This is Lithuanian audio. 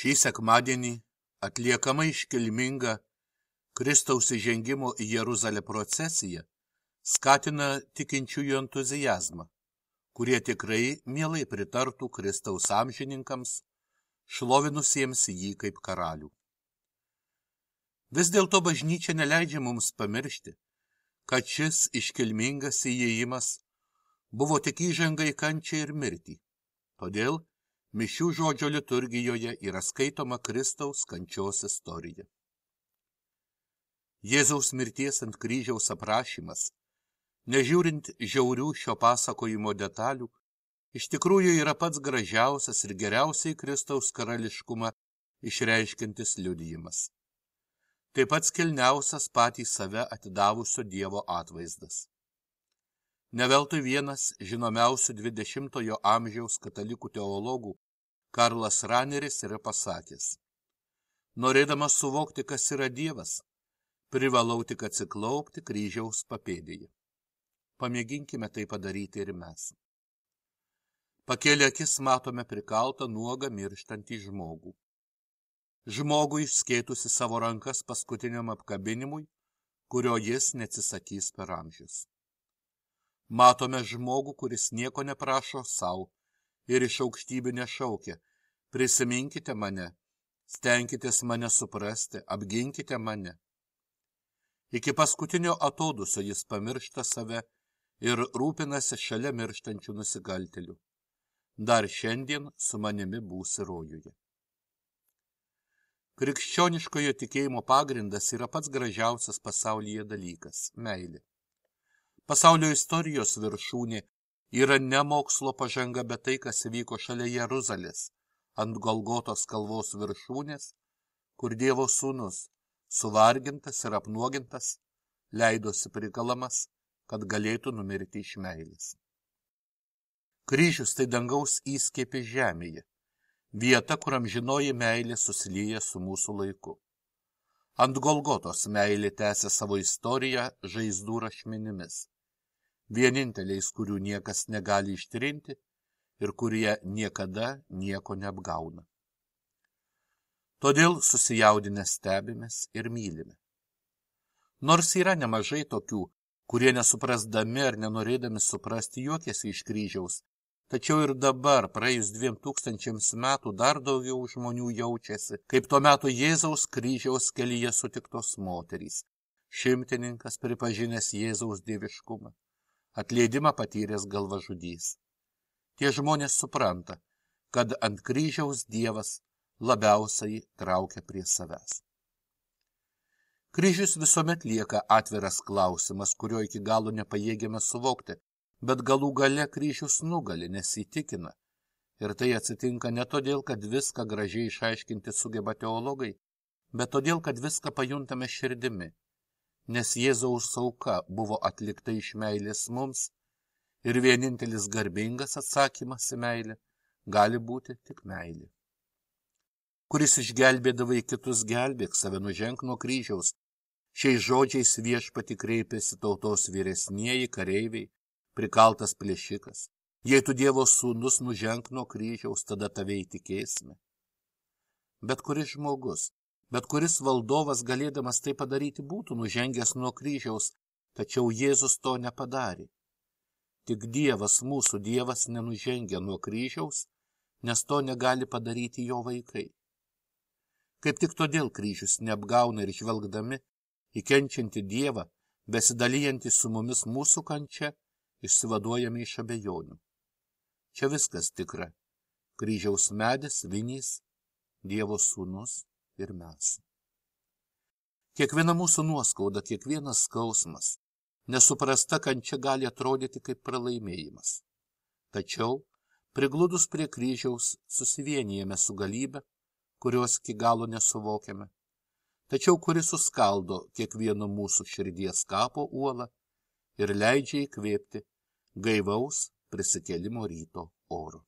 Šį sekmadienį atliekama iškilminga Kristaus įžengimo į Jeruzalę procesija skatina tikinčiųjų entuziazmą, kurie tikrai mielai pritartų Kristaus amžininkams, šlovinusiems jį kaip karalių. Vis dėlto bažnyčia neleidžia mums pamiršti, kad šis iškilmingas įėjimas buvo tik įžanga į kančią ir mirtį. Todėl mišių žodžio liturgijoje yra skaitoma Kristaus kančios istorija. Jėzaus mirties ant kryžiaus aprašymas, nežiūrint žiaurių šio pasakojimo detalių, iš tikrųjų yra pats gražiausias ir geriausiai Kristaus karališkumą išreiškiantis liudijimas. Taip pat kilniausias patį save atidavusio Dievo atvaizdas. Neveltui vienas žinomiausių 20-ojo amžiaus katalikų teologų Karlas Raneris yra pasakęs: norėdamas suvokti, kas yra Dievas, privalau tik atsiklaupti kryžiaus papėdėje. Pamėginkime tai padaryti ir mes. Pakėlę akis matome prikaltą nuogą mirštantį žmogų. Žmogų išskėtusi savo rankas paskutiniam apkabinimui, kurio jis neatsisakys per amžius. Matome žmogų, kuris nieko neprašo savo ir iš aukštybių nešaukia: prisiminkite mane, stenkitės mane suprasti, apginkite mane. Iki paskutinio atodusio jis pamiršta save ir rūpinasi šalia mirštančių nusikaltėlių. Dar šiandien su manimi būsi rojuje. Krikščioniškojo tikėjimo pagrindas yra pats gražiausias pasaulyje dalykas – meilė. Pasaulio istorijos viršūnė yra ne mokslo pažanga, bet tai, kas vyko šalia Jeruzalės, ant Golgotos kalvos viršūnės, kur Dievo sūnus, suvargintas ir apnuogintas, leidosi prikalamas, kad galėtų numirti iš meilės. Kryžius tai dangaus įskiepė žemėje, vieta, kur amžinoji meilė susilieja su mūsų laiku. Ant Golgotos meilė tęsia savo istoriją žaizdų rašmenimis, vieninteliais, kurių niekas negali ištrinti ir kurie niekada nieko neapgauna. Todėl susijaudinę stebimės ir mylime. Nors yra nemažai tokių, kurie nesuprasdami ar nenorėdami suprasti juokiasi iš kryžiaus, tačiau ir dabar, praėjus 2000 metų, dar daugiau žmonių jaučiasi, kaip tuo metu Jėzaus kryžiaus kelyje sutiktos moterys, šimtininkas pripažinęs Jėzaus dieviškumą, atleidimą patyręs galvažudys. Tie žmonės supranta, kad ant kryžiaus Dievas labiausiai traukia prie savęs. Kryžius visuomet lieka atviras klausimas, kurio iki galo nepajėgiame suvokti, bet galų gale kryžius nugali, nes įtikina. Ir tai atsitinka ne todėl, kad viską gražiai išaiškinti sugeba teologai, bet todėl, kad viską pajuntame širdimi, nes Jėzaus auka buvo atlikta iš meilės mums ir vienintelis garbingas atsakymas į meilę gali būti tik meilė. Kuris išgelbėdavai kitus, gelbėk save, nuženk nuo kryžiaus. Šiais žodžiais Viešpatį kreipėsi tautos vyresnieji kareiviai, prikaltas plėšikas. Jei tu Dievo sūnus, nuženk nuo kryžiaus, tada tave įtikėsime. Bet kuris žmogus, bet kuris valdovas galėdamas tai padaryti būtų nužengęs nuo kryžiaus, tačiau Jėzus to nepadarė. Tik Dievas, mūsų Dievas, nenužengia nuo kryžiaus, nes to negali padaryti jo vaikai. Kaip tik todėl kryžius neapgauna ir žvelgdami į kenčiantį Dievą, besidalijantį su mumis mūsų kančia, išsivaduojame iš abejonių. Čia viskas tikra. Kryžiaus medis, vinys, Dievo sūnus ir mes. Kiekviena mūsų nuoskauda, kiekvienas skausmas, nesuprasta kančia gali atrodyti kaip pralaimėjimas. Tačiau, prigludus prie kryžiaus, susivienijame su galybė, kurios iki galo nesuvokiame, tačiau kuri suskaldo kiekvieno mūsų širdies kapo uolą ir leidžia įkvėpti gaivaus prisikėlimo ryto oru.